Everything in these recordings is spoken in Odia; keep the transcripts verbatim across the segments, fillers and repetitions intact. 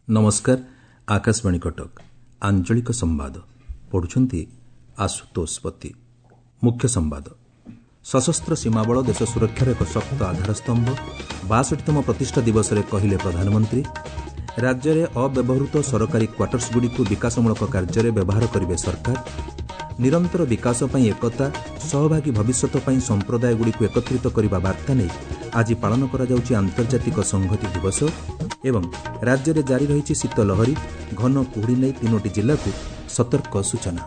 ନମସ୍କାର, ଆକାଶବାଣୀ କଟକ। ଆଞ୍ଚଳିକ ସମ୍ବାଦ ପଢୁଛନ୍ତି ଆଶୁତୋଷ ପତି। ମୁଖ୍ୟ ସମ୍ବାଦ। ସଶସ୍ତ୍ର ସୀମାବଳ ଦେଶ ସୁରକ୍ଷାର ଏକ ଶକ୍ତ ଆଧାରସ୍ତମ୍ଭ, ବାଷଠିତମ ପ୍ରତିଷ୍ଠା ଦିବସରେ କହିଲେ ପ୍ରଧାନମନ୍ତ୍ରୀ। ରାଜ୍ୟରେ ଅବ୍ୟବହୃତ ସରକାରୀ କ୍ୱାର୍ଟର୍ସଗୁଡ଼ିକୁ ବିକାଶମୂଳକ କାର୍ଯ୍ୟରେ ବ୍ୟବହାର କରିବେ ସରକାର। ନିରନ୍ତର ବିକାଶ ପାଇଁ ଏକତା, ସହଭାଗୀ ଭବିଷ୍ୟତ ପାଇଁ ସମ୍ପ୍ରଦାୟଗୁଡ଼ିକୁ ଏକତ୍ରିତ କରିବା ବାର୍ତ୍ତା ନେଇ ଆଜି ପାଳନ କରାଯାଉଛି ଆନ୍ତର୍ଜାତିକ ସଂହତି ଦିବସ। ଏବଂ ରାଜ୍ୟରେ ଜାରି ରହିଛି ଶୀତ ଲହରୀ, ଘନ କୁହୁଡ଼ି ନେଇ ତିନୋଟି ଜିଲ୍ଲାକୁ ସତର୍କ ସୂଚନା।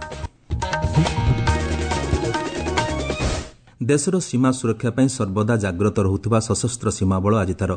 ଦେଶର ସୀମା ସୁରକ୍ଷା ପାଇଁ ସର୍ବଦା ଜାଗ୍ରତ ରହୁଥିବା ସଶସ୍ତ୍ର ସୀମାବଳ ଆଜି ତା'ର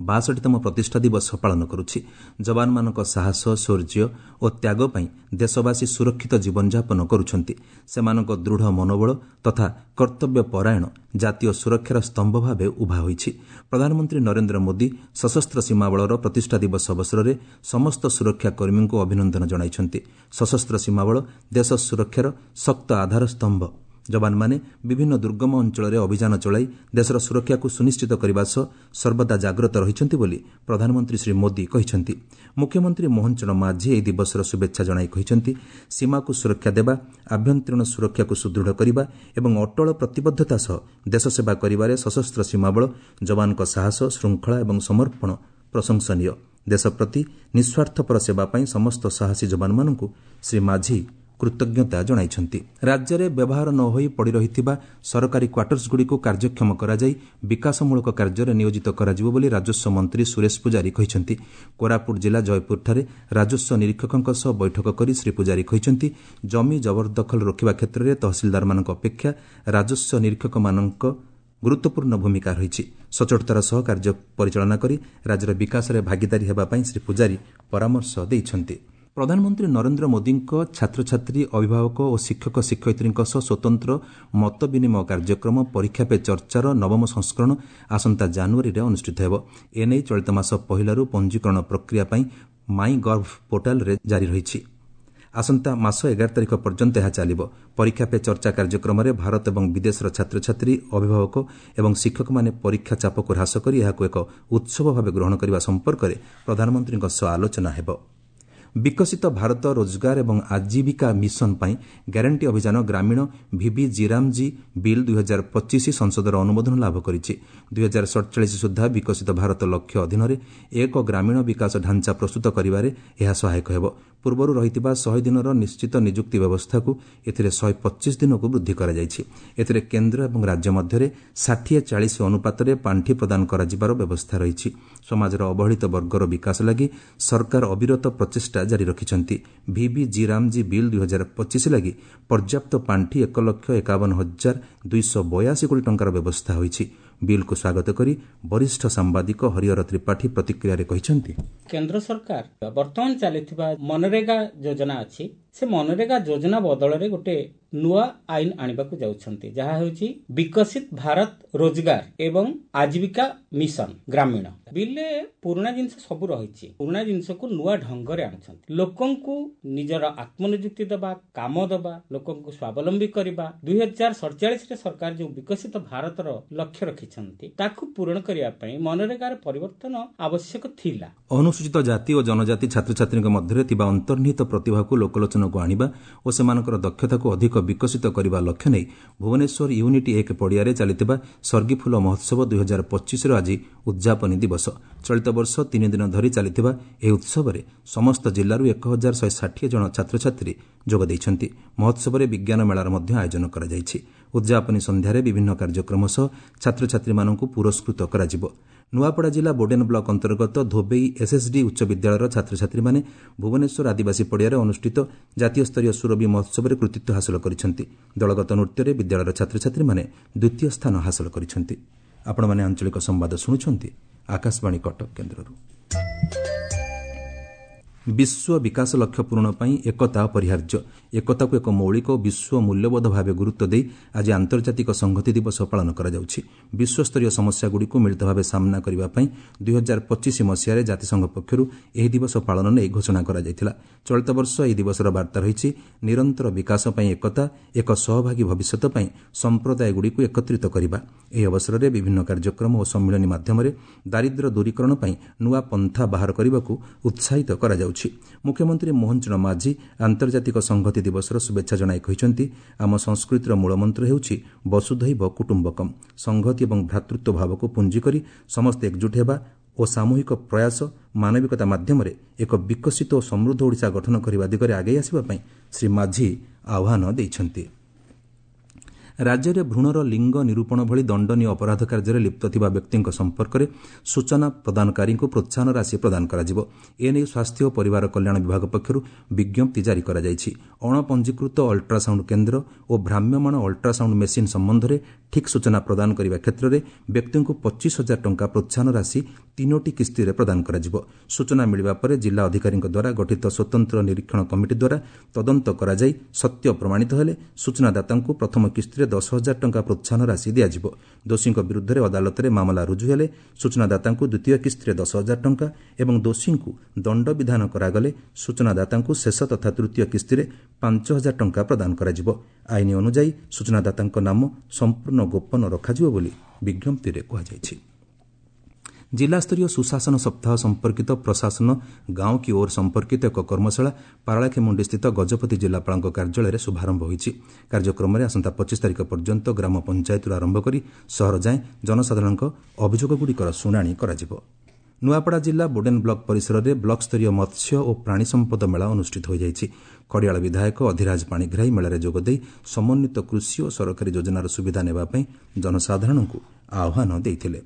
ବାଷଠିତମ ପ୍ରତିଷ୍ଠା ଦିବସ ପାଳନ କରୁଛି। ଯବାନମାନଙ୍କ ସାହସ, ଶୌର୍ଯ୍ୟ ଓ ତ୍ୟାଗ ପାଇଁ ଦେଶବାସୀ ସୁରକ୍ଷିତ ଜୀବନଯାପନ କରୁଛନ୍ତି। ସେମାନଙ୍କ ଦୃଢ଼ ମନୋବଳ ତଥା କର୍ତ୍ତବ୍ୟ ପରାୟଣ ଜାତୀୟ ସୁରକ୍ଷାର ସ୍ତମ୍ଭ ଭାବେ ଉଭା ହୋଇଛି। ପ୍ରଧାନମନ୍ତ୍ରୀ ନରେନ୍ଦ୍ର ମୋଦି ସଶସ୍ତ୍ର ସୀମାବଳର ପ୍ରତିଷ୍ଠା ଦିବସ ଅବସରରେ ସମସ୍ତ ସୁରକ୍ଷା କର୍ମୀଙ୍କୁ ଅଭିନନ୍ଦନ ଜଣାଇଛନ୍ତି। ସଶସ୍ତ୍ର ସୀମାବଳ ଦେଶ ସୁରକ୍ଷାର ଶକ୍ତ ଆଧାର ସ୍ତମ୍ଭ। ଯବାନମାନେ ବିଭିନ୍ନ ଦୁର୍ଗମ ଅଞ୍ଚଳରେ ଅଭିଯାନ ଚଳାଇ ଦେଶର ସୁରକ୍ଷାକୁ ସୁନିଶ୍ଚିତ କରିବା ସହ ସର୍ବଦା ଜାଗ୍ରତ ରହିଛନ୍ତି ବୋଲି ପ୍ରଧାନମନ୍ତ୍ରୀ ଶ୍ରୀ ମୋଦି କହିଛନ୍ତି। ମୁଖ୍ୟମନ୍ତ୍ରୀ ମୋହନ ଚରଣ ମାଝୀ ଏହି ଦିବସର ଶୁଭେଚ୍ଛା ଜଣାଇ କହିଛନ୍ତି, ସୀମାକୁ ସୁରକ୍ଷା ଦେବା, ଆଭ୍ୟନ୍ତରୀଣ ସୁରକ୍ଷାକୁ ସୁଦୃଢ଼ କରିବା ଏବଂ ଅଟଳ ପ୍ରତିବଦ୍ଧତା ସହ ଦେଶ ସେବା କରିବାରେ ସଶସ୍ତ୍ର ସୀମାବଳ ଯବାନଙ୍କ ସାହସ, ଶୃଙ୍ଖଳା ଏବଂ ସମର୍ପଣ ପ୍ରଶଂସନୀୟ। ଦେଶ ପ୍ରତି ନିଃସ୍ୱାର୍ଥପର ସେବା ପାଇଁ ସମସ୍ତ ସାହସୀ ଯବାନମାନଙ୍କୁ ଶ୍ରୀ ମାଝୀ କୃତଜ୍ଞତା ଜଣାଇଛନ୍ତି। ରାଜ୍ୟରେ ବ୍ୟବହାର ନ ହୋଇ ପଡ଼ିରହିଥିବା ସରକାରୀ କ୍ୱାର୍ଟର୍ସଗୁଡ଼ିକୁ କାର୍ଯ୍ୟକ୍ଷମ କରାଯାଇ ବିକାଶମୂଳକ କାର୍ଯ୍ୟରେ ନିୟୋଜିତ କରାଯିବ ବୋଲି ରାଜସ୍ୱ ମନ୍ତ୍ରୀ ସୁରେଶ ପୂଜାରୀ କହିଛନ୍ତି। କୋରାପୁଟ ଜିଲ୍ଲା ଜୟପୁରଠାରେ ରାଜସ୍ୱ ନିରୀକ୍ଷକଙ୍କ ସହ ବୈଠକ କରି ଶ୍ରୀ ପୂଜାରୀ କହିଛନ୍ତି, ଜମି ଜବରଦଖଲ ରୋକିବା କ୍ଷେତ୍ରରେ ତହସିଲଦାରମାନଙ୍କ ଅପେକ୍ଷା ରାଜସ୍ୱ ନିରୀକ୍ଷକମାନଙ୍କ ଗୁରୁତ୍ୱପୂର୍ଣ୍ଣ ଭୂମିକା ରହିଛି। ସଚୋଟତାର ସହ କାର୍ଯ୍ୟ ପରିଚାଳନା କରି ରାଜ୍ୟର ବିକାଶରେ ଭାଗିଦାରୀ ହେବା ପାଇଁ ଶ୍ରୀ ପୂଜାରୀ ପରାମର୍ଶ ଦେଇଛନ୍ତି। ପ୍ରଧାନମନ୍ତ୍ରୀ ନରେନ୍ଦ୍ର ମୋଦିଙ୍କ ଛାତ୍ରଛାତ୍ରୀ, ଅଭିଭାବକ ଓ ଶିକ୍ଷକ ଶିକ୍ଷୟିତ୍ରୀଙ୍କ ସହ ସ୍ୱତନ୍ତ୍ର ମତ ବିନିମୟ କାର୍ଯ୍ୟକ୍ରମ ପରୀକ୍ଷା ପେ ଚର୍ଚ୍ଚାର ନବମ ସଂସ୍କରଣ ଆସନ୍ତା ଜାନୁଆରୀରେ ଅନୁଷ୍ଠିତ ହେବ। ଏନେଇ ଚଳିତ ମାସ ପହିଲାରୁ ପଞ୍ଜୀକରଣ ପ୍ରକ୍ରିୟା ପାଇଁ ମାଇ ଗଭ୍ ପୋର୍ଟାଲରେ ଜାରି ରହିଛି। ଆସନ୍ତା ମାସ ଏଗାର ତାରିଖ ପର୍ଯ୍ୟନ୍ତ ଏହା ଚାଲିବ। ପରୀକ୍ଷା ପେ ଚର୍ଚ୍ଚା କାର୍ଯ୍ୟକ୍ରମରେ ଭାରତ ଏବଂ ବିଦେଶର ଛାତ୍ରଛାତ୍ରୀ, ଅଭିଭାବକ ଏବଂ ଶିକ୍ଷକମାନେ ପରୀକ୍ଷା ଚାପକୁ ହ୍ରାସ କରି ଏହାକୁ ଏକ ଉତ୍ସବ ଭାବେ ଗ୍ରହଣ କରିବା ସମ୍ପର୍କରେ ପ୍ରଧାନମନ୍ତ୍ରୀଙ୍କ ସହ ଆଲୋଚନା ହେବ। ବିକଶିତ ଭାରତ ରୋଜଗାର ଏବଂ ଆଜୀବିକା ମିଶନ ପାଇଁ ଗ୍ୟାରେଣ୍ଟି ଅଭିଯାନ ଗ୍ରାମୀଣ ଭିବି ଜିରାମଜୀ ବିଲ୍ ଦୁଇହଜାର ପଚିଶ ସଂସଦର ଅନୁମୋଦନ ଲାଭ କରିଛି। ଦୁଇହଜାର ସଡ଼ଚାଳିଶ ସୁଦ୍ଧା ବିକଶିତ ଭାରତ ଲକ୍ଷ୍ୟ ଅଧୀନରେ ଏକ ଗ୍ରାମୀଣ ବିକାଶ ଢାଞ୍ଚା ପ୍ରସ୍ତୁତ କରିବାରେ ଏହା ସହାୟକ ହେବ। ପୂର୍ବରୁ ରହିଥିବା ଶହେ ଦିନର ନିଶ୍ଚିତ ନିଯୁକ୍ତି ବ୍ୟବସ୍ଥାକୁ ଏଥିରେ ଶହେ ପଚିଶ ଦିନକୁ ବୃଦ୍ଧି କରାଯାଇଛି। ଏଥିରେ କେନ୍ଦ୍ର ଏବଂ ରାଜ୍ୟ ମଧ୍ୟରେ ଷାଠିଏ ଚାଳିଶ ଅନୁପାତରେ ପାଣ୍ଠି ପ୍ରଦାନ କରାଯିବାର ବ୍ୟବସ୍ଥା ରହିଛି। ସମାଜର ଅବହେଳିତ ବର୍ଗର ବିକାଶ ଲାଗି ସରକାର ଅବିରତ ପ୍ରଚେଷ୍ଟା ଜାରି ରଖିଛନ୍ତି। ଭିବି ଜି ରାମଜୀ ବିଲ୍ ଦୁଇହଜାର ପଚିଶ ଲାଗି ପର୍ଯ୍ୟାପ୍ତ ପାଣ୍ଠି ଏକ ଲକ୍ଷ ଏକାବନ ହଜାର ଦୁଇଶହ ବୟାଅଶୀ କୋଟି ଟଙ୍କାର ବ୍ୟବସ୍ଥା ହୋଇଛି। ବିଲ୍କୁ ସ୍ୱାଗତ କରି ବରିଷ୍ଠ ସାମ୍ବାଦିକ ହରିହର ତ୍ରିପାଠୀ ପ୍ରତିକ୍ରିୟାରେ କହିଛନ୍ତି, କେନ୍ଦ୍ର ସରକାର ବର୍ତ୍ତମାନ ଚାଲିଥିବା ମନରେଗା ଯୋଜନା ଅଛି, ସେ ମନରେଗା ଯୋଜନା ବଦଳରେ ଗୋଟେ ନୂଆ ଆଇନ ଆଣିବାକୁ ଯାଉଛନ୍ତି, ଯାହା ହେଉଛି ବିକଶିତ ଭାରତ ରୋଜଗାର ଏବଂ ଆଜୀବିକା ମିଶନ ଗ୍ରାମୀଣ। ବିଲ୍ରେ ପୁରୁଣା ଜିନିଷ ସବୁ ରହିଛି, ପୁରୁଣା ଜିନିଷକୁ ନୂଆ ଢଙ୍ଗରେ ଆଣୁଛନ୍ତି। ଲୋକଙ୍କୁ ନିଜର ଆତ୍ମନିଯୁକ୍ତି ଦେବା, କାମ ଦେବା, ଲୋକଙ୍କୁ ସ୍ୱାବଲମ୍ବୀ କରିବା। ଦୁଇ ହଜାର ସଡ଼ଚାଳିଶରେ ସରକାର ଯେଉଁ ବିକଶିତ ଭାରତର ଲକ୍ଷ୍ୟ ରଖିଛନ୍ତି ତାକୁ ପୂରଣ କରିବା ପାଇଁ ମନରେଗାର ପରିବର୍ତ୍ତନ ଆବଶ୍ୟକ ଥିଲା। ଅନୁସୂଚିତ ଜାତି ଓ ଜନଜାତି ଛାତ୍ରଛାତ୍ରୀଙ୍କ ମଧ୍ୟରେ ଥିବା ଅନ୍ତର୍ନିହିତ ପ୍ରତିଭାକୁ ଲୋକଲୋଚନକୁ ଆଣିବା ଓ ସେମାନଙ୍କର ଦକ୍ଷତାକୁ ଅଧିକ ବିକଶିତ କରିବା ଲକ୍ଷ୍ୟ ନେଇ ଭୁବନେଶ୍ୱର ୟୁନିଟ୍ ଏକ ପଡ଼ିଆରେ ଚାଲିଥିବା ସର୍ଗିଫୁଲ ମହୋତ୍ସବ ଦୁଇହଜାର ପଚିଶର ଆଜି ଉଦ୍ଯାପନୀ ଦିବସ। ଚଳିତ ବର୍ଷ ତିନି ଦିନ ଧରି ଚାଲିଥିବା ଏହି ଉତ୍ସବରେ ସମସ୍ତ ଜିଲ୍ଲାରୁ ଏକ ହଜାର ଶହେ ଷାଠିଏ ଜଣ ଛାତ୍ରଛାତ୍ରୀ ଯୋଗ ଦେଇଛନ୍ତି। ମହୋତ୍ସବରେ ବିଜ୍ଞାନ ମେଳାର ମଧ୍ୟ ଆୟୋଜନ କରାଯାଇଛି। ଉଦ୍ଯାପନୀ ସନ୍ଧ୍ୟାରେ ବିଭିନ୍ନ କାର୍ଯ୍ୟକ୍ରମ ସହ ଛାତ୍ରଛାତ୍ରୀମାନଙ୍କୁ ପୁରସ୍କୃତ କରାଯିବ। ନୂଆପଡ଼ା ଜିଲ୍ଲା ବୋଡେନ ବ୍ଲକ ଅନ୍ତର୍ଗତ ଧୋବେଇ ଏସ୍ଏସ୍ଡି ଉଚ୍ଚ ବିଦ୍ୟାଳୟର ଛାତ୍ରଛାତ୍ରୀମାନେ ଭୁବନେଶ୍ୱର ଆଦିବାସୀ ପଡ଼ିଆରେ ଅନୁଷ୍ଠିତ ଜାତୀୟ ସ୍ତରୀୟ ସୁରଭି ମହୋତ୍ସବରେ କୃତିତ୍ୱ ହାସଲ କରିଛନ୍ତି। ଦଳଗତ ନୃତ୍ୟରେ ବିଦ୍ୟାଳୟର ଛାତ୍ରଛାତ୍ରୀମାନେ ଦ୍ୱିତୀୟ ସ୍ଥାନ ହାସଲ କରିଛନ୍ତି। ଆପଣମାନେ ଆଞ୍ଚଳିକ ସମ୍ବାଦ ଶୁଣୁଛନ୍ତି ଆକାଶବାଣୀ କଟକ କେନ୍ଦ୍ରରୁ। ବିଶ୍ୱ ବିକାଶ ଲକ୍ଷ୍ୟ ପୂରଣ ପାଇଁ ଏକତା ଅପରିହାର୍ଯ୍ୟ। ଏକତାକୁ ଏକ ମୌଳିକ ଓ ବିଶ୍ୱ ମୂଲ୍ୟବୋଧ ଭାବେ ଗୁରୁତ୍ୱ ଦେଇ ଆଜି ଆନ୍ତର୍ଜାତିକ ସଂହତି ଦିବସ ପାଳନ କରାଯାଉଛି। ବିଶ୍ୱସ୍ତରୀୟ ସମସ୍ୟାଗୁଡ଼ିକୁ ମିଳିତ ଭାବେ ସାମ୍ନା କରିବା ପାଇଁ ଦୁଇ ହଜାର ପଚିଶ ମସିହାରେ ଜାତିସଂଘ ପକ୍ଷରୁ ଏହି ଦିବସ ପାଳନ ନେଇ ଘୋଷଣା କରାଯାଇଥିଲା। ଚଳିତ ବର୍ଷ ଏହି ଦିବସର ବାର୍ତ୍ତା ରହିଛି ନିରନ୍ତର ବିକାଶ ପାଇଁ ଏକତା, ଏକ ସହଭାଗୀ ଭବିଷ୍ୟତ ପାଇଁ ସମ୍ପ୍ରଦାୟଗୁଡ଼ିକୁ ଏକତ୍ରିତ କରିବା। ଏହି ଅବସରରେ ବିଭିନ୍ନ କାର୍ଯ୍ୟକ୍ରମ ଓ ସମ୍ମିଳନୀ ମାଧ୍ୟମରେ ଦାରିଦ୍ର୍ୟ ଦୂରୀକରଣ ପାଇଁ ନୂଆ ପନ୍ଥା ବାହାର କରିବାକୁ ଉତ୍ସାହିତ କରାଯାଉଛି। ମୁଖ୍ୟମନ୍ତ୍ରୀ ମୋହନ ଚରଣ ମାଝୀ ଆନ୍ତର୍ଜାତିକ ସଂହତି ଦିବସର ଶୁଭେଚ୍ଛା ଜଣାଇ କହିଛନ୍ତି, ଆମ ସଂସ୍କୃତିର ମୂଳମନ୍ତ୍ର ହେଉଛି ବସୁଧୈବ କୁଟୁମ୍ବକମ୍। ସଂହତି ଏବଂ ଭ୍ରାତୃତ୍ୱ ଭାବକୁ ପୁଞ୍ଜି କରି ସମସ୍ତେ ଏକଜୁଟ ହେବା ଓ ସାମୂହିକ ପ୍ରୟାସ ମାନବିକତା ମାଧ୍ୟମରେ ଏକ ବିକଶିତ ଓ ସମୃଦ୍ଧ ଓଡ଼ିଶା ଗଠନ କରିବା ଦିଗରେ ଆଗେଇ ଆସିବା ପାଇଁ ଶ୍ରୀ ମାଝୀ ଆହ୍ୱାନ ଦେଇଛନ୍ତି। ରାଜ୍ୟରେ ଭ୍ରୂଣର ଲିଙ୍ଗ ନିରୂପଣ ଭଳି ଦଣ୍ଡନୀୟ ଅପରାଧ କାର୍ଯ୍ୟରେ ଲିପ୍ତ ଥିବା ବ୍ୟକ୍ତିଙ୍କ ସମ୍ପର୍କରେ ସୂଚନା ପ୍ରଦାନକାରୀଙ୍କୁ ପ୍ରୋତ୍ସାହନ ରାଶି ପ୍ରଦାନ କରାଯିବ। ଏନେଇ ସ୍ୱାସ୍ଥ୍ୟ ଓ ପରିବାର କଲ୍ୟାଣ ବିଭାଗ ପକ୍ଷରୁ ବିଜ୍ଞପ୍ତି ଜାରି କରାଯାଇଛି। ଅଣପଞ୍ଜୀକୃତ ଅଲ୍ଟ୍ରାସାଉଣ୍ଡ କେନ୍ଦ୍ର ଓ ଭ୍ରାମ୍ୟମାଣ ଅଲ୍ଟ୍ରାସାଉଣ୍ଡ ମେସିନ୍ ସମ୍ବନ୍ଧରେ ଠିକ୍ ସୂଚନା ପ୍ରଦାନ କରିବା କ୍ଷେତ୍ରରେ ବ୍ୟକ୍ତିଙ୍କୁ ପଚିଶ ହଜାର ଟଙ୍କା ପ୍ରୋତ୍ସାହନ ରାଶି ତିନୋଟି କିସ୍ତିରେ ପ୍ରଦାନ କରାଯିବ। ସୂଚନା ମିଳିବା ପରେ ଜିଲ୍ଲା ଅଧିକାରୀଙ୍କ ଦ୍ୱାରା ଗଠିତ ସ୍ୱତନ୍ତ୍ର ନିରୀକ୍ଷଣ କମିଟି ଦ୍ୱାରା ତଦନ୍ତ କରାଯାଇ ସତ୍ୟ ପ୍ରମାଣିତ ହେଲେ ସୂଚନାଦାତାଙ୍କୁ ପ୍ରଥମ କିସ୍ତିରେ ଦଶ ହଜାର ଟଙ୍କା ପ୍ରୋତ୍ସାହନ ରାଶି ଦିଆଯିବ। ଦୋଷୀଙ୍କ ବିରୁଦ୍ଧରେ ଅଦାଲତରେ ମାମଲା ରୁଜୁ ହେଲେ ସୂଚନାଦାତାଙ୍କୁ ଦ୍ୱିତୀୟ କିସ୍ତିରେ ଦଶ ହଜାର ଟଙ୍କା ଏବଂ ଦୋଷୀଙ୍କୁ ଦଣ୍ଡବିଧାନ କରାଗଲେ ସୂଚନାଦାତାଙ୍କୁ ଶେଷ ତଥା ତୃତୀୟ କିସ୍ତିରେ ପାଞ୍ଚ ହଜାର ଟଙ୍କା ପ୍ରଦାନ କରାଯିବ। ଆଇନ ଅନୁଯାୟୀ ସୂଚନାଦାତାଙ୍କ ନାମ ସମ୍ପୂର୍ଣ୍ଣ ଗୋପନ ରଖାଯିବ ବୋଲି ବିଜ୍ଞପ୍ତିରେ କୁହାଯାଇଛି। ଜିଲ୍ଲାସ୍ତରୀୟ ସୁଶାସନ ସପ୍ତାହ ସମ୍ପର୍କିତ ପ୍ରଶାସନ ଗାଁ କି ଓର୍ ସମ୍ପର୍କିତ ଏକ କର୍ମଶାଳା ପାରଳାଖେମୁଣ୍ଡିସ୍ଥିତ ଗଜପତି ଜିଲ୍ଲାପାଳଙ୍କ କାର୍ଯ୍ୟାଳୟରେ ଶୁଭାରମ୍ଭ ହୋଇଛି। କାର୍ଯ୍ୟକ୍ରମରେ ଆସନ୍ତା ପଚିଶ ତାରିଖ ପର୍ଯ୍ୟନ୍ତ ଗ୍ରାମ ପଞ୍ଚାୟତରୁ ଆରମ୍ଭ କରି ସହର ଯାଏଁ ଜନସାଧାରଣଙ୍କ ଅଭିଯୋଗଗୁଡ଼ିକର ଶୁଣାଣି କରାଯିବ। ନୂଆପଡ଼ା ଜିଲ୍ଲା ବୋଡେନ୍ ବ୍ଲକ ପରିସରରେ ବ୍ଲକସ୍ତରୀୟ ମତ୍ସ୍ୟ ଓ ପ୍ରାଣୀ ସମ୍ପଦ ମେଳା ଅନୁଷ୍ଠିତ ହୋଇଯାଇଛି। ଖଡ଼ିଆଳ ବିଧାୟକ ଅଧିରାଜ ପାଣିଗ୍ରାହୀ ମେଳାରେ ଯୋଗଦେଇ ସମନ୍ୱିତ କୃଷି ଓ ସରକାରୀ ଯୋଜନାର ସୁବିଧା ନେବା ପାଇଁ ଜନସାଧାରଣଙ୍କୁ ଆହ୍ୱାନ ଦେଇଥିଲେ।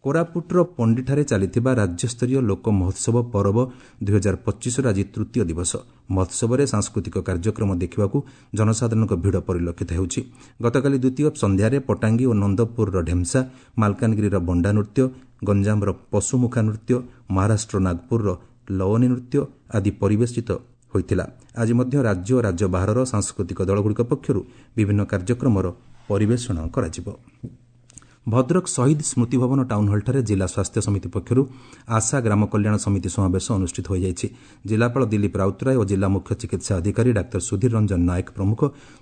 କୋରାପୁଟର ପଣ୍ଡିଠାରେ ଚାଲିଥିବା ରାଜ୍ୟସ୍ତରୀୟ ଲୋକ ମହୋତ୍ସବ ପରବ ଦୁଇ ହଜାର ପଚିଶର ଆଜି ତୃତୀୟ ଦିବସ। ମହୋତ୍ସବରେ ସାଂସ୍କୃତିକ କାର୍ଯ୍ୟକ୍ରମ ଦେଖିବାକୁ ଜନସାଧାରଣଙ୍କ ଭିଡ଼ ପରିଲକ୍ଷିତ ହେଉଛି। ଗତକାଲି ଦ୍ୱିତୀୟ ସନ୍ଧ୍ୟାରେ ପଟାଙ୍ଗୀ ଓ ନନ୍ଦପୁରର ଢେମ୍ସା, ମାଲକାନଗିରିର ବଣ୍ଡା ନୃତ୍ୟ, ଗଞ୍ଜାମର ପଶୁମୁଖା ନୃତ୍ୟ, ମହାରାଷ୍ଟ୍ର ନାଗପୁରର ଲୱନୀ ନୃତ୍ୟ ଆଦି ପରିବେଶିତ ହୋଇଥିଲା। ଆଜି ମଧ୍ୟ ରାଜ୍ୟ ଓ ରାଜ୍ୟ ବାହାରର ସାଂସ୍କୃତିକ ଦଳଗୁଡ଼ିକ ପକ୍ଷରୁ ବିଭିନ୍ନ କାର୍ଯ୍ୟକ୍ରମର ପରିବେଷଣ କରାଯିବ। ଭଦ୍ରକ ଶହୀଦ ସ୍ମୃତି ଭବନ ଟାଉନ୍ ହଲ୍ଠାରେ ଜିଲ୍ଲା ସ୍ୱାସ୍ଥ୍ୟ ସମିତି ପକ୍ଷରୁ ଆଶା ଗ୍ରାମ କଲ୍ୟାଣ ସମିତି ସମାବେଶ ଅନୁଷ୍ଠିତ ହୋଇଯାଇଛି। ଜିଲ୍ଲାପାଳ ଦିଲ୍ଲୀପ ରାଉତରାୟ ଓ ଜିଲ୍ଲା ମୁଖ୍ୟ ଚିକିତ୍ସା ଅଧିକାରୀ ଡାକ୍ତର ସୁଧୀର ରଞ୍ଜନ ନାୟକ ପ୍ରମୁଖ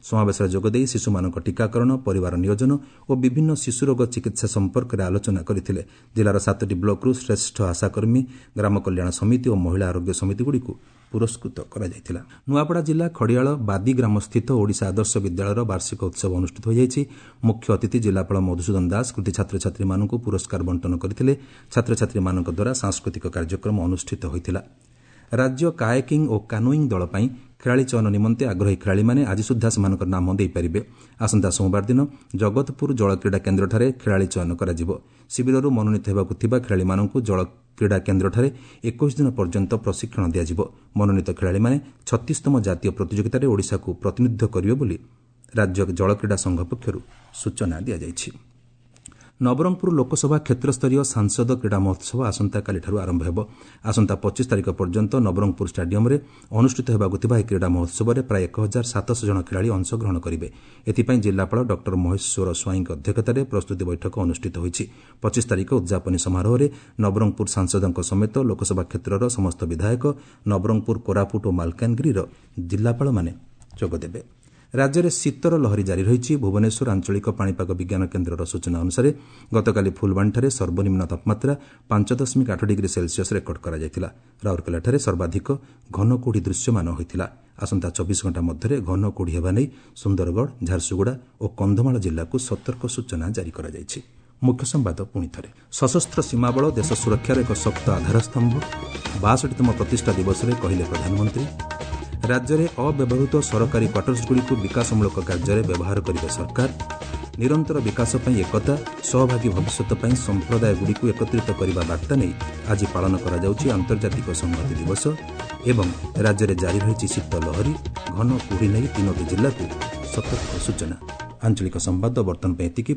ସମାବେଶରେ ଯୋଗଦେଇ ଶିଶୁମାନଙ୍କ ଟିକାକରଣ, ପରିବାର ନିୟୋଜନ ଓ ବିଭିନ୍ନ ଶିଶୁରୋଗ ଚିକିତ୍ସା ସମ୍ପର୍କରେ ଆଲୋଚନା କରିଥିଲେ। ଜିଲ୍ଲାର ସାତଟି ବ୍ଲକରୁ ଶ୍ରେଷ୍ଠ ଆଶାକର୍ମୀ, ଗ୍ରାମ କଲ୍ୟାଣ ସମିତି ଓ ମହିଳା ଆରୋଗ୍ୟ ସମିତିଗୁଡ଼ିକୁ ପୁରସ୍କୃତ କରାଯାଇଥିଲା। ନୂଆପଡ଼ା ଜିଲ୍ଲା ଖଡ଼ିଆଳ ବାଦି ଗ୍ରାମସ୍ଥିତ ଓଡ଼ିଶା ଆଦର୍ଶ ବିଦ୍ୟାଳୟର ବାର୍ଷିକ ଉତ୍ସବ ଅନୁଷ୍ଠିତ ହୋଇଯାଇଛି। ମୁଖ୍ୟ ଅତିଥି ଜିଲ୍ଲାପାଳ ମଧୁସୂଦନ ଦାସ କୃତି ଛାତ୍ରଛାତ୍ରୀମାନଙ୍କୁ ପୁରସ୍କାର ବଣ୍ଟନ କରିଥିଲେ। ଛାତ୍ରଛାତ୍ରୀମାନଙ୍କ ଦ୍ୱାରା ସାଂସ୍କୃତିକ କାର୍ଯ୍ୟକ୍ରମ ଅନୁଷ୍ଠିତ ହୋଇଥିଲା। ରାଜ୍ୟ କାୟାକିଂ ଓ କାନୋଇଂ ଦଳ ପାଇଁ ଖେଳାଳି ଚୟନ ନିମନ୍ତେ ଆଗ୍ରହୀ ଖେଳାଳିମାନେ ଆଜି ସୁଦ୍ଧା ସେମାନଙ୍କର ନାମ ଦେଇପାରିବେ। ଆସନ୍ତା ସୋମବାର ଦିନ ଜଗତପୁର ଜଳକ୍ରୀଡ଼ା କେନ୍ଦ୍ରଠାରେ ଖେଳାଳି ଚୟନ କରାଯିବ। ଶିବିରରୁ ମନୋନୀତ ହେବାକୁ ଥିବା ଖେଳାଳିମାନଙ୍କୁ ଜଳକ୍ରୀଡ଼ା କେନ୍ଦ୍ରଠାରେ ଏକୋଇଶ ଦିନ ପର୍ଯ୍ୟନ୍ତ ପ୍ରଶିକ୍ଷଣ ଦିଆଯିବ। ମନୋନୀତ ଖେଳାଳିମାନେ ଛତିଶତମ ଜାତୀୟ ପ୍ରତିଯୋଗିତାରେ ଓଡ଼ିଶାକୁ ପ୍ରତିନିଧିତ୍ୱ କରିବେ ବୋଲି ରାଜ୍ୟ ଜଳକ୍ରୀଡ଼ା ସଂଘ ପକ୍ଷରୁ ସୂଚନା ଦିଆଯାଇଛି। ନବରଙ୍ଗପୁର ଲୋକସଭା କ୍ଷେତ୍ରସ୍ତରୀୟ ସାଂସଦ କ୍ରୀଡ଼ା ମହୋତ୍ସବ ଆସନ୍ତାକାଲିଠାରୁ ଆରମ୍ଭ ହେବ। ଆସନ୍ତା ପଚିଶ ତାରିଖ ପର୍ଯ୍ୟନ୍ତ ନବରଙ୍ଗପୁର ଷ୍ଟାଡିୟମ୍ରେ ଅନୁଷ୍ଠିତ ହେବାକୁ ଥିବା ଏହି କ୍ରୀଡ଼ା ମହୋତ୍ସବରେ ପ୍ରାୟ ଏକ ହଜାର ସାତଶହ ଜଣ ଖେଳାଳି ଅଂଶଗ୍ରହଣ କରିବେ। ଏଥିପାଇଁ ଜିଲ୍ଲାପାଳ ଡକ୍ଟର ମହେଶ୍ୱର ସ୍ୱାଇଁଙ୍କ ଅଧ୍ୟକ୍ଷତାରେ ପ୍ରସ୍ତୁତି ବୈଠକ ଅନୁଷ୍ଠିତ ହୋଇଛି। ପଚିଶ ତାରିଖ ଉଦ୍ଯାପନୀ ସମାରୋହରେ ନବରଙ୍ଗପୁର ସାଂସଦଙ୍କ ସମେତ ଲୋକସଭା କ୍ଷେତ୍ରର ସମସ୍ତ ବିଧାୟକ, ନବରଙ୍ଗପୁର, କୋରାପୁଟ ଓ ମାଲକାନଗିରିର ଜିଲ୍ଲାପାଳମାନେ ଯୋଗଦେବେ। ରାଜ୍ୟରେ ଶୀତର ଲହରୀ ଜାରି ରହିଛି। ଭୁବନେଶ୍ୱର ଆଞ୍ଚଳିକ ପାଣିପାଗ ବିଜ୍ଞାନ କେନ୍ଦ୍ରର ସୂଚନା ଅନୁସାରେ ଗତକାଲି ଫୁଲବାଣୀଠାରେ ସର୍ବନିମ୍ନ ତାପମାତ୍ରା ପାଞ୍ଚ ଦଶମିକ ଆଠ ଡିଗ୍ରୀ ସେଲସିୟସ୍ ରେକର୍ଡ କରାଯାଇଥିଲା। ରାଉରକେଲାଠାରେ ସର୍ବାଧିକ ଘନ କୁହୁଡ଼ି ଦୃଶ୍ୟମାନ ହୋଇଥିଲା। ଆସନ୍ତା ଚବିଶ ଘଣ୍ଟା ମଧ୍ୟରେ ଘନ କୁହୁଡ଼ି ହେବା ନେଇ ସୁନ୍ଦରଗଡ଼, ଝାରସୁଗୁଡ଼ା ଓ କନ୍ଧମାଳ ଜିଲ୍ଲାକୁ ସତର୍କ ସୂଚନା ଜାରି କରାଯାଇଛି। ମୁଖ୍ୟ ସମ୍ବାଦ ପୁଣି ଥରେ। ସଶସ୍ତ୍ର ସୀମାବଳ ଦେଶ ସୁରକ୍ଷାର ଏକ ଶକ୍ତ ଆଧାରସ୍ତମ୍ଭ, ବାଷଠିତମ ପ୍ରତିଷ୍ଠା ଦିବସରେ କହିଲେ ପ୍ରଧାନମନ୍ତ୍ରୀ। ରାଜ୍ୟରେ ଅବ୍ୟବହୃତ ସରକାରୀ କ୍ୱାର୍ଟର୍ସଗୁଡ଼ିକୁ ବିକାଶମୂଳକ କାର୍ଯ୍ୟରେ ବ୍ୟବହାର କରିବେ ସରକାର। ନିରନ୍ତର ବିକାଶ ପାଇଁ ଏକତା, ସହଭାଗୀ ଭବିଷ୍ୟତ ପାଇଁ ସମ୍ପ୍ରଦାୟଗୁଡ଼ିକୁ ଏକତ୍ରିତ କରିବା ବାର୍ତ୍ତା ନେଇ ଆଜି ପାଳନ କରାଯାଉଛି ଆନ୍ତର୍ଜାତିକ ସଂହତି ଦିବସ। ଏବଂ ରାଜ୍ୟରେ ଜାରି ରହିଛି ଶୀତ ଲହରୀ, ଘନ କୁହୁଡ଼ି ନେଇ ତିନୋଟି ଜିଲ୍ଲାକୁ ସତର୍କ ସୂଚନା। ଆଞ୍ଚଳିକ ସମ୍ବାଦ ବର୍ତ୍ତମାନ ପାଇଁ ଏତିକି।